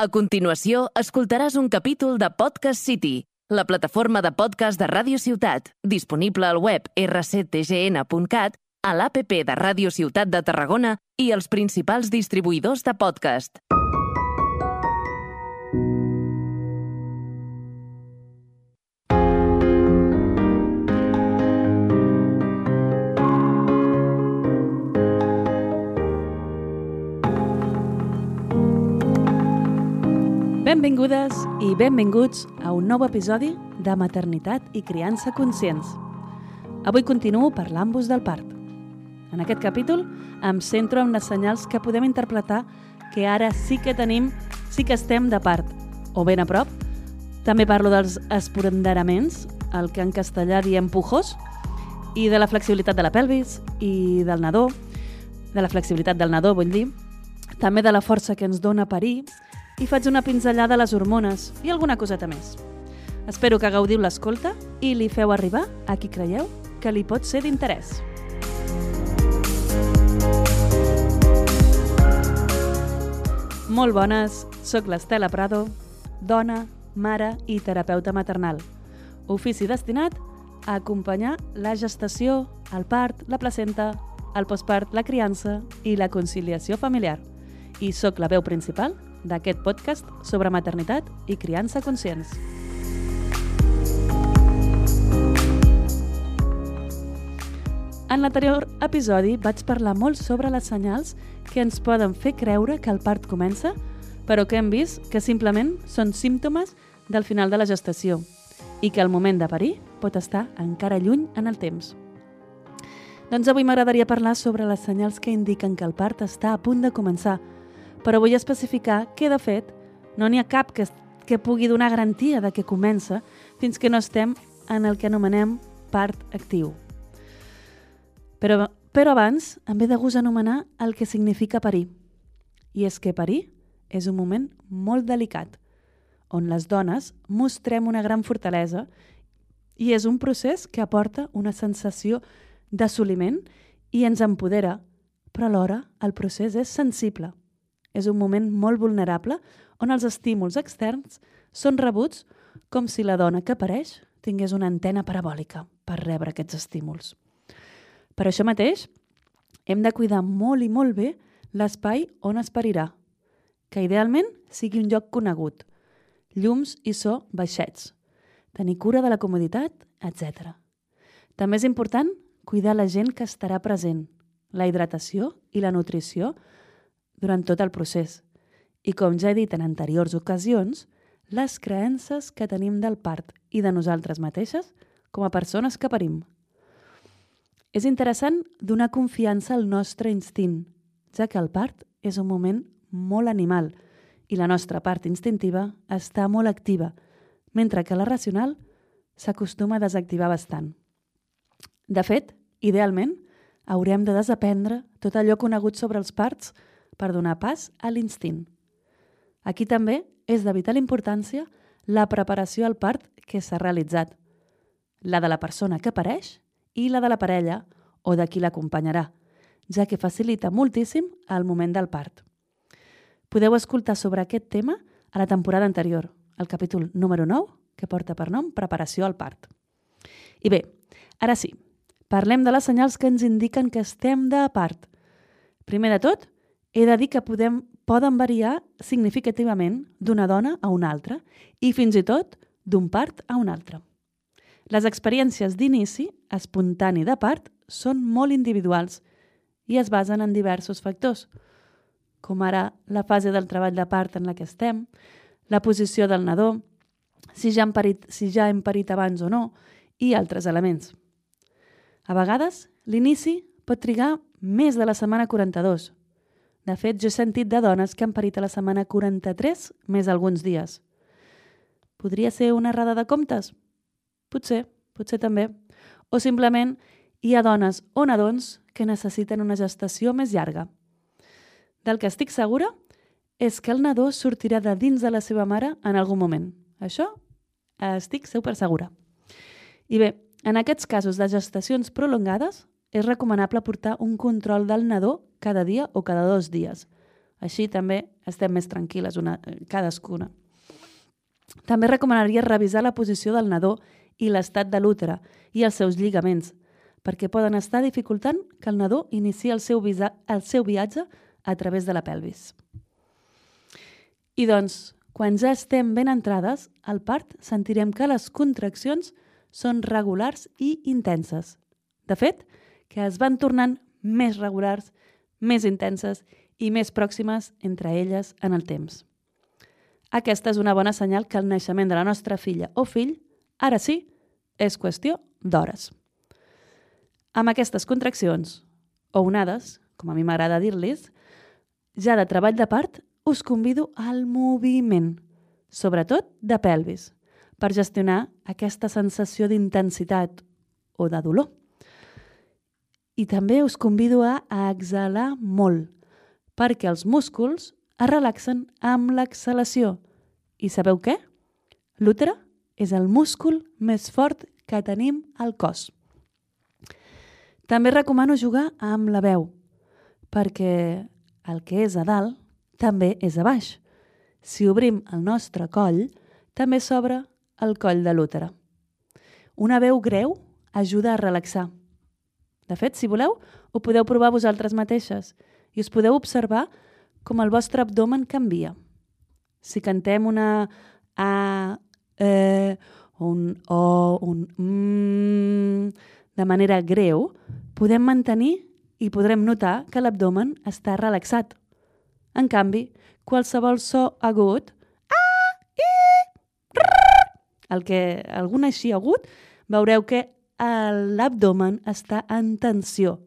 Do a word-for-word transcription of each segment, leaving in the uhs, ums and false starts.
A continuació, escoltaràs un capítol de Podcast City, la plataforma de podcast de Ràdio Ciutat, disponible al web erre ce te ge ene punt cat, a l'app de Ràdio Ciutat de Tarragona i els principals distribuïdors de podcast. Benvingudes i benvinguts a un nou episodi de Maternitat i Criança Conscients. Avui continuo parlant-vos del part. En aquest capítol em centro en les senyals que podem interpretar que ara sí que tenim, sí que estem de part, o ben a prop. També parlo dels esporanderaments, el que en castellà diem pujos, i de la flexibilitat de la pelvis i del nadó, de la flexibilitat del nadó, vull dir, també de la força que ens dona parir, i faig una pinzellada a les hormones i alguna coseta més. Espero que gaudiu l'escolta i li feu arribar a qui creieu que li pot ser d'interès. Molt bones, soc l'Estela Prado, dona, mare i terapeuta maternal. Ofici destinat a acompanyar la gestació, el part, la placenta, el postpart, la criança i la conciliació familiar. I soc la veu principal d'aquest podcast sobre maternitat i criança conscients. En l'anterior episodi vaig parlar molt sobre les senyals que ens poden fer creure que el part comença, però que hem vist que simplement són símptomes del final de la gestació i que el moment de parir pot estar encara lluny en el temps. Doncs avui m'agradaria parlar sobre les senyals que indiquen que el part està a punt de començar, però vull especificar que, de fet, no n'hi ha cap que, que pugui donar garantia de que comença fins que no estem en el que anomenem part actiu. Però, però abans em ve de gust anomenar el que significa parir. I és que parir és un moment molt delicat, on les dones mostrem una gran fortalesa i és un procés que aporta una sensació d'assoliment i ens empodera, però alhora el procés és sensible. És un moment molt vulnerable on els estímuls externs són rebuts com si la dona que pareix tingués una antena parabòlica per rebre aquests estímuls. Per això mateix, hem de cuidar molt i molt bé l'espai on es parirà, que idealment sigui un lloc conegut, llums i so baixets, tenir cura de la comoditat, etcètera. També és important cuidar la gent que estarà present, la hidratació i la nutrició durant tot el procés. I com ja he dit en anteriors ocasions, les creences que tenim del part i de nosaltres mateixes com a persones que parim. És interessant donar confiança al nostre instint, ja que el part és un moment molt animal i la nostra part instintiva està molt activa, mentre que la racional s'acostuma a desactivar bastant. De fet, idealment, haurem de desaprendre tot allò conegut sobre els parts per donar pas a l'instint. Aquí també és de vital importància la preparació al part que s'ha realitzat, la de la persona que pareix i la de la parella o de qui l'acompanyarà, ja que facilita moltíssim el moment del part. Podeu escoltar sobre aquest tema a la temporada anterior, el capítol número nou, que porta per nom Preparació al part. I bé, ara sí, parlem de les senyals que ens indiquen que estem de part. Primer de tot, he de dir que podem, poden variar significativament d'una dona a una altra i fins i tot d'un part a un altre. Les experiències d'inici, espontani de part, són molt individuals i es basen en diversos factors, com ara la fase del treball de part en la que estem, la posició del nadó, si ja hem parit, si ja hem parit abans o no, i altres elements. A vegades, l'inici pot trigar més de la setmana quaranta-dos. De fet, jo he sentit de dones que han parit a la setmana quaranta-tres més alguns dies. Podria ser una errada de comptes? Potser, potser també. O simplement hi ha dones o nadons que necessiten una gestació més llarga. Del que estic segura és que el nadó sortirà de dins de la seva mare en algun moment. Això estic super segura. I bé, en aquests casos de gestacions prolongades, és recomanable portar un control del nadó cada dia o cada dos dies. Així també estem més tranquil·les una, cadascuna. També recomanaria revisar la posició del nadó i l'estat de l'útere i els seus lligaments, perquè poden estar dificultant que el nadó iniciï el seu, visa, el seu viatge a través de la pelvis. I doncs, quan ja estem ben entrades, al part sentirem que les contraccions són regulars i intenses. De fet, que es van tornant més regulars, més intenses i més pròximes entre elles en el temps. Aquesta és una bona senyal que el naixement de la nostra filla o fill, ara sí, és qüestió d'hores. Amb aquestes contraccions, o onades, com a mi m'agrada dir-les, ja de treball de part, us convido al moviment, sobretot de pelvis, per gestionar aquesta sensació d'intensitat o de dolor. I també us convido a exhalar molt, perquè els músculs es relaxen amb l'exhalació. I sabeu què? L'útere és el múscul més fort que tenim al cos. També recomano jugar amb la veu, perquè el que és a dalt també és a baix. Si obrim el nostre coll, també s'obre el coll de l'útere. Una veu greu ajuda a relaxar. De fet, si voleu, ho podeu provar vosaltres mateixes i us podeu observar com el vostre abdomen canvia. Si cantem una A, E, un O, un M, de manera greu, podem mantenir i podrem notar que l'abdomen està relaxat. En canvi, qualsevol so agut, A, I, R, el que, algun així agut, veureu que l'abdomen està en tensió.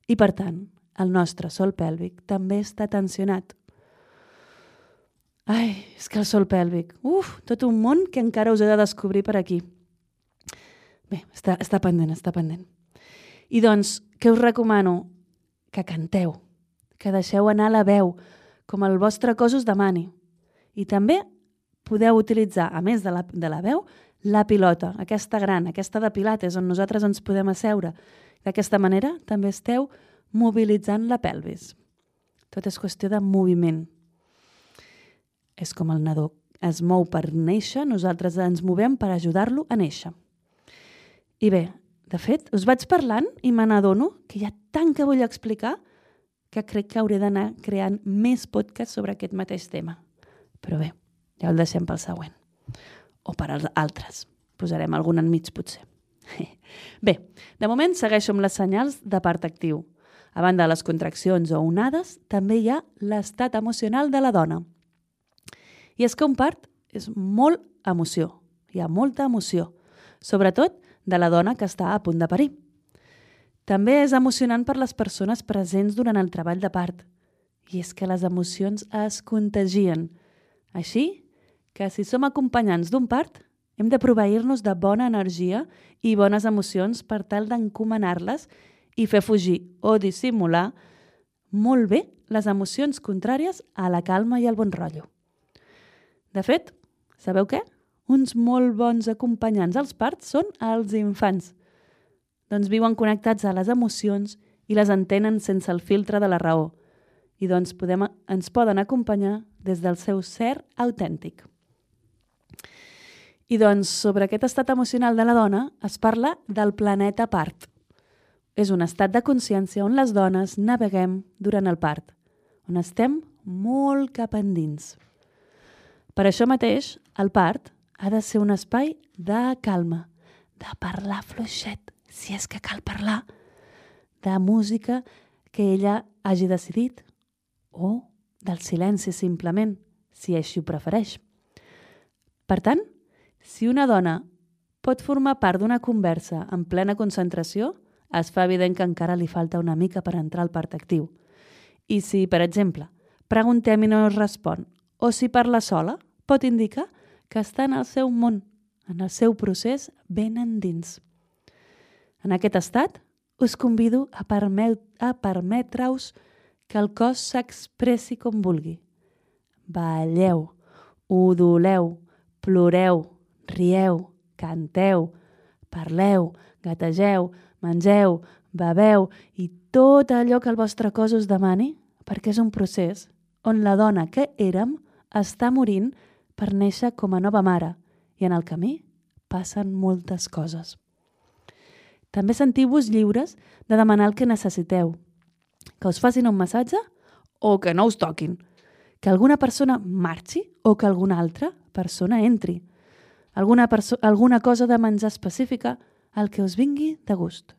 I per tant, el nostre sòl pèlvic també està tensionat. Ai, és que el sòl pèlvic, uf, tot un món que encara us he de descobrir per aquí. Bé, està, està pendent, està pendent. I doncs, què us recomano? Que canteu, que deixeu anar la veu, com el vostre cos us demani. I també podeu utilitzar, a més de la, de la veu, la pilota, aquesta gran, aquesta de pilates, on nosaltres ens podem asseure. D'aquesta manera també esteu mobilitzant la pelvis. Tot és qüestió de moviment. És com el nadó es mou per néixer, nosaltres ens movem per ajudar-lo a néixer. I bé, de fet, us vaig parlant i me n'adono que hi ha tant que vull explicar que crec que hauré d'anar creant més podcasts sobre aquest mateix tema. Però bé, ja el deixem pel següent. O per als altres. Posarem algun enmig, potser. Bé, de moment segueixo amb les senyals de part actiu. A banda de les contraccions o onades, també hi ha l'estat emocional de la dona. I és que un part és molt emoció. Hi ha molta emoció. Sobretot de la dona que està a punt de parir. També és emocionant per les persones presents durant el treball de part. I és que les emocions es contagien. Així que si som acompanyants d'un part, hem de proveir-nos de bona energia i bones emocions per tal d'encomanar-les i fer fugir o dissimular molt bé les emocions contràries a la calma i al bon rotllo. De fet, sabeu què? Uns molt bons acompanyants als parts són els infants. Doncs viuen connectats a les emocions i les entenen sense el filtre de la raó. I doncs podem, ens poden acompanyar des del seu ser autèntic. I doncs, sobre aquest estat emocional de la dona es parla del planeta part. És un estat de consciència on les dones naveguem durant el part, on estem molt cap endins. Per això mateix, el part ha de ser un espai de calma, de parlar fluixet, si és que cal parlar, de música que ella hagi decidit, o del silenci simplement, si així ho prefereix. Per tant, si una dona pot formar part d'una conversa en plena concentració, es fa evident que encara li falta una mica per entrar al part actiu. I si, per exemple, preguntem i no es respon, o si parla sola, pot indicar que està en el seu món, en el seu procés ben endins. En aquest estat, us convido a, permet, a permetre-us que el cos s'expressi com vulgui. Balleu, udoleu, ploreu, rieu, canteu, parleu, gategeu, mengeu, beveu i tot allò que el vostre cos us demani, perquè és un procés on la dona que érem està morint per néixer com a nova mare i en el camí passen moltes coses. També sentiu-vos lliures de demanar el que necessiteu, que us facin un massatge o que no us toquin, que alguna persona marxi o que alguna altra persona entri, alguna, perso- alguna cosa de menjar específica, el que us vingui de gust.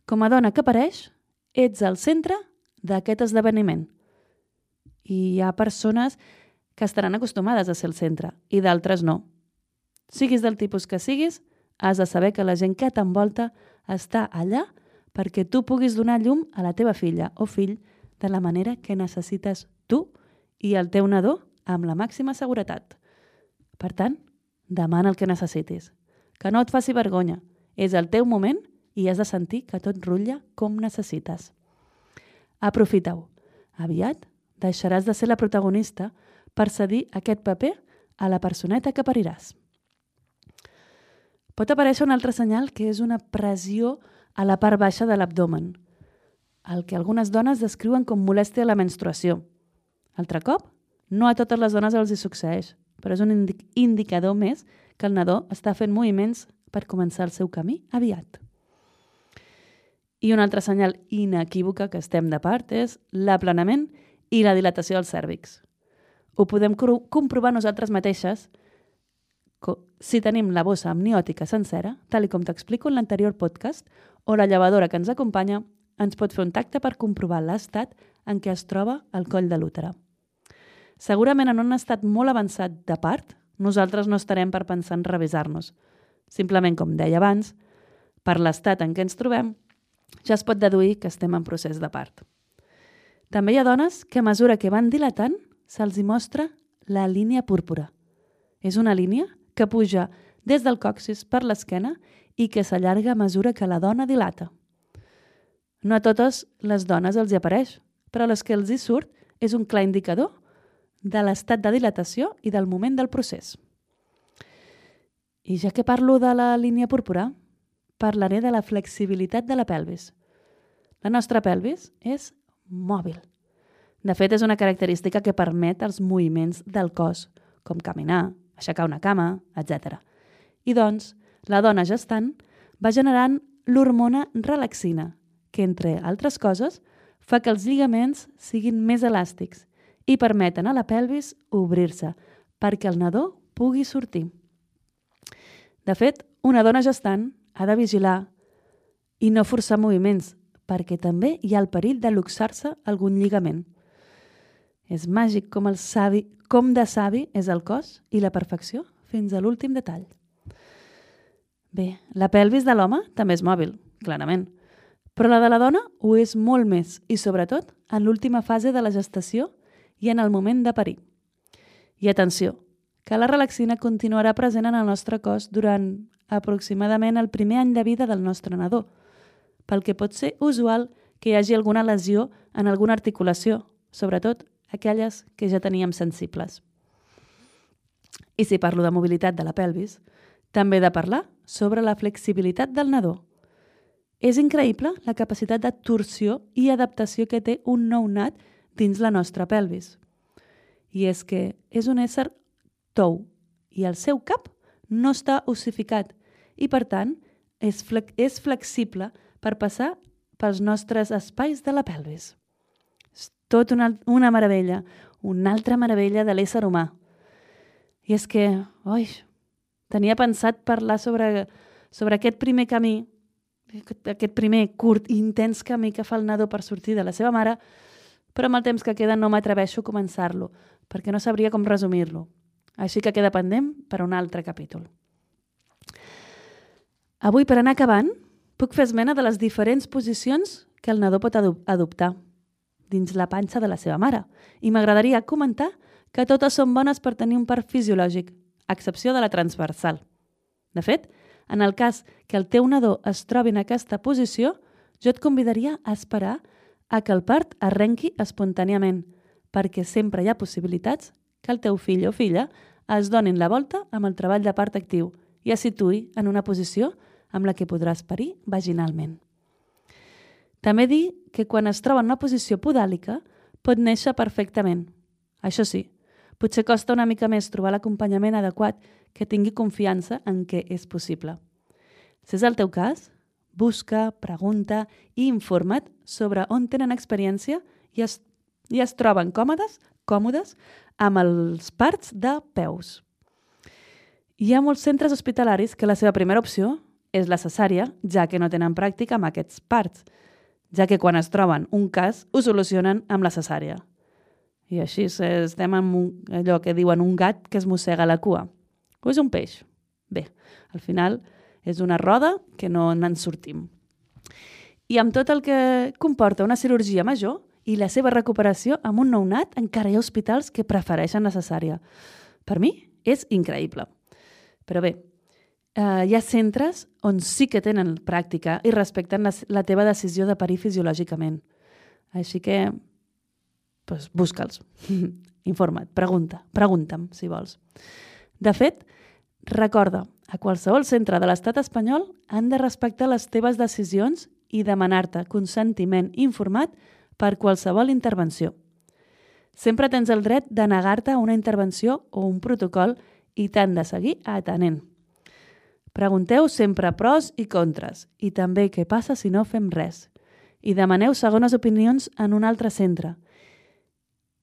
Com a dona que pareix, ets al centre d'aquest esdeveniment. I hi ha persones que estaran acostumades a ser el centre i d'altres no. Siguis del tipus que siguis, has de saber que la gent que t'envolta està allà perquè tu puguis donar llum a la teva filla o fill de la manera que necessites tu i el teu nadó amb la màxima seguretat. Per tant, demana el que necessitis. Que no et faci vergonya. És el teu moment i has de sentir que tot rutlla com necessites. Aprofita-ho. Aviat deixaràs de ser la protagonista per cedir aquest paper a la personeta que pariràs. Pot aparèixer un altre senyal que és una pressió a la part baixa de l'abdomen, el que algunes dones descriuen com molèstia a la menstruació. Altre cop, no a totes les dones els hi succeeix, però és un indi- indicador més que el nadó està fent moviments per començar el seu camí aviat. I un altre senyal inequívoca que estem de part és l'aplanament i la dilatació dels cèrvix. Ho podem cru- comprovar nosaltres mateixes co- si tenim la bossa amniòtica sencera, tal i com t'explico en l'anterior podcast, o la llevadora que ens acompanya ens pot fer un tacte per comprovar l'estat en què es troba el coll de l'útere. Segurament en un estat molt avançat de part, nosaltres no estarem per pensar en revisar-nos. Simplement, com deia abans, per l'estat en què ens trobem, ja es pot deduir que estem en procés de part. També hi ha dones que a mesura que van dilatant se'ls hi mostra la línia púrpura. És una línia que puja des del còccix per l'esquena i que s'allarga a mesura que la dona dilata. No a totes les dones els hi apareix, però a les que els hi surt és un clar indicador de l'estat de dilatació i del moment del procés. I ja que parlo de la línia púrpura, parlaré de la flexibilitat de la pelvis. La nostra pelvis és mòbil. De fet, és una característica que permet els moviments del cos, com caminar, aixecar una cama, etcètera. I doncs, la dona gestant va generant l'hormona relaxina, que, entre altres coses, fa que els lligaments siguin més elàstics i permeten a la pelvis obrir-se perquè el nadó pugui sortir. De fet, una dona gestant ha de vigilar i no forçar moviments, perquè també hi ha el perill de luxar-se algun lligament. És màgic com, el savi, com de savi és el cos i la perfecció fins a l'últim detall. Bé, la pelvis de l'home també és mòbil, clarament, però la de la dona ho és molt més i, sobretot, en l'última fase de la gestació i en el moment de parir. I atenció, que la relaxina continuarà present en el nostre cos durant aproximadament el primer any de vida del nostre nadó, pel que pot ser usual que hi hagi alguna lesió en alguna articulació, sobretot aquelles que ja teníem sensibles. I si parlo de mobilitat de la pelvis, també he de parlar sobre la flexibilitat del nadó. És increïble la capacitat de torsió i adaptació que té un nounat dins la nostra pelvis. I és que és un ésser tou i el seu cap no està ossificat i, per tant, és, flex- és flexible per passar pels nostres espais de la pelvis. És tot una, una meravella, una altra meravella de l'ésser humà. I és que, oi, tenia pensat parlar sobre, sobre aquest primer camí, aquest primer curt i intens camí que fa el nadó per sortir de la seva mare, però amb el temps que queda no m'atreveixo a començar-lo, perquè no sabria com resumir-lo. Així que queda pendent per a un altre capítol. Avui, per anar acabant, puc fer esmena de les diferents posicions que el nadó pot adoptar dins la panxa de la seva mare. I m'agradaria comentar que totes són bones per tenir un part fisiològic, a excepció de la transversal. De fet, en el cas que el teu nadó es trobi en aquesta posició, jo et convidaria a esperar a que el part arrenqui espontàniament, perquè sempre hi ha possibilitats que el teu fill o filla es donin la volta amb el treball de part actiu i es situï en una posició amb la que podràs parir vaginalment. També dir que quan es troba en una posició podàlica pot néixer perfectament, Això sí, potser costa una mica més trobar l'acompanyament adequat que tingui confiança en què és possible. Si és el teu cas, busca, pregunta i informa't sobre on tenen experiència i es, i es troben còmodes, còmodes amb els parts de peus. Hi ha molts centres hospitalaris que la seva primera opció és la cesària, ja que no tenen pràctica amb aquests parts, ja que quan es troben un cas ho solucionen amb la cesària. I així estem amb un, allò que diuen un gat que es mossega la cua. O és un peix? Bé, al final és una roda que no n'en sortim. I amb tot el que comporta una cirurgia major i la seva recuperació amb un nounat, encara hi ha hospitals que prefereixen la cesària. Per mi és increïble. Però bé, eh, hi ha centres on sí que tenen pràctica i respecten la, la teva decisió de parir fisiològicament. Així que, doncs, busca'ls. Informa't, pregunta, pregunta'm, si vols. De fet, recorda, a qualsevol centre de l'estat espanyol han de respectar les teves decisions i demanar-te consentiment informat per qualsevol intervenció. Sempre tens el dret de negar-te a una intervenció o un protocol i t'han de seguir atenent. Pregunteu sempre pros i contres i també què passa si no fem res. I demaneu segones opinions en un altre centre.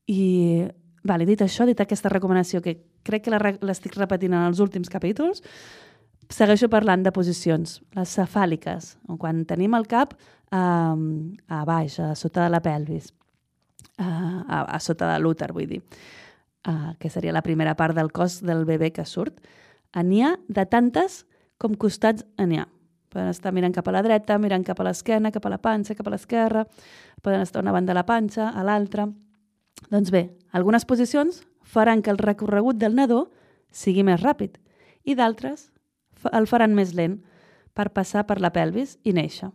I, vale, dit això, dit aquesta recomanació que crec que l'estic repetint en els últims capítols, segueixo parlant de posicions, les cefàliques, quan tenim el cap a, a baix, a sota de la pelvis, a, a, a sota de l'úter, vull dir, a, que seria la primera part del cos del bebè que surt. N'hi ha de tantes com costats n'hi ha. Poden estar mirant cap a la dreta, mirant cap a l'esquena, cap a la panxa, cap a l'esquerra, poden estar a una banda de la panxa, a l'altra. Doncs bé, algunes posicions faran que el recorregut del nadó sigui més ràpid i d'altres el faran més lent per passar per la pelvis i néixer.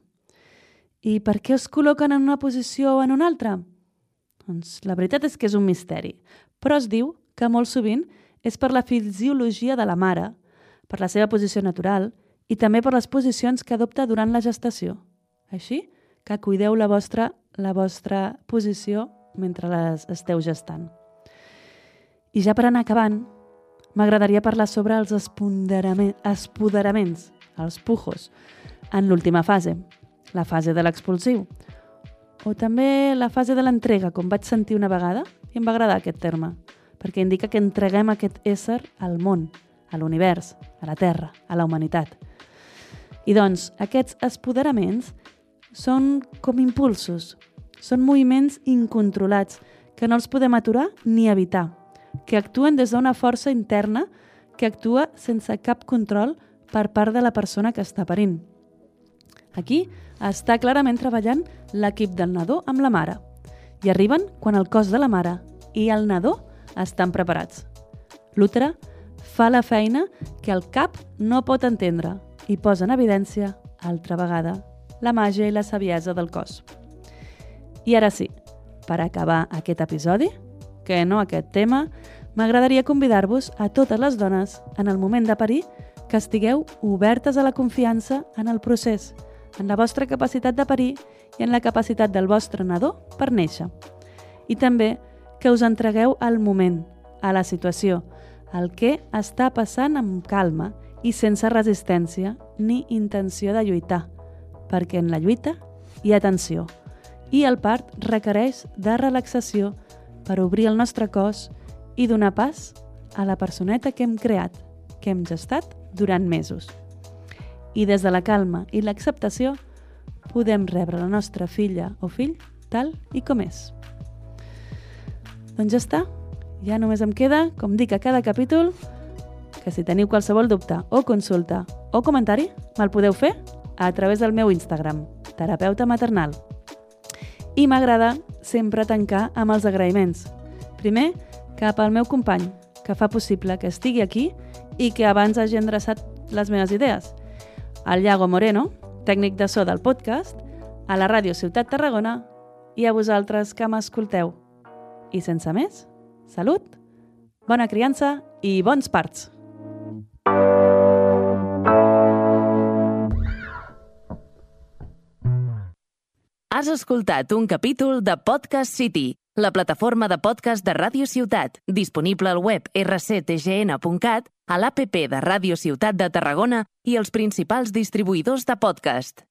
I per què es col·loquen en una posició o en una altra? Doncs la veritat és que és un misteri, però es diu que molt sovint és per la fisiologia de la mare, per la seva posició natural i també per les posicions que adopta durant la gestació. Així que cuideu la vostra, la vostra posició mentre les esteu gestant. I ja per anar acabant, m'agradaria parlar sobre els espoderaments, els pujos, en l'última fase, la fase de l'expulsiu, o també la fase de l'entrega, com vaig sentir una vegada, i em va agradar aquest terme, perquè indica que entreguem aquest ésser al món, a l'univers, a la Terra, a la humanitat. I doncs, aquests espoderaments són com impulsos, són moviments incontrolats que no els podem aturar ni evitar, que actuen des d'una força interna que actua sense cap control per part de la persona que està parint. Aquí està clarament treballant l'equip del nadó amb la mare i arriben quan el cos de la mare i el nadó estan preparats. L'útere fa la feina que el cap no pot entendre i posa en evidència, altra vegada, la màgia i la saviesa del cos. I ara sí, per acabar aquest episodi, que no aquest tema, m'agradaria convidar-vos a totes les dones, en el moment de parir, que estigueu obertes a la confiança en el procés, en la vostra capacitat de parir i en la capacitat del vostre nadó per néixer. I també que us entregueu al moment, a la situació, al que està passant amb calma i sense resistència ni intenció de lluitar, perquè en la lluita hi ha tensió i el part requereix de relaxació per obrir el nostre cos i donar pas a la personeta que hem creat, que hem gestat durant mesos. I des de la calma i l'acceptació podem rebre la nostra filla o fill tal i com és. Doncs ja està. Ja només em queda, com dic a cada capítol, que si teniu qualsevol dubte o consulta o comentari, me'l podeu fer a través del meu Instagram, terapeuta maternal. I m'agrada sempre tancar amb els agraïments. Primer, cap al meu company, que fa possible que estigui aquí i que abans hagi endreçat les meves idees. Al Iago Moreno, tècnic de so del podcast, a la Ràdio Ciutat Tarragona i a vosaltres que m'escolteu. I sense més, salut, bona criança i bons parts! Has escoltat un capítol de Podcast City, la plataforma de podcast de Ràdio Ciutat, disponible al web erre ce te ge ene punt cat, a l'A P P de Ràdio Ciutat de Tarragona i els principals distribuïdors de podcast.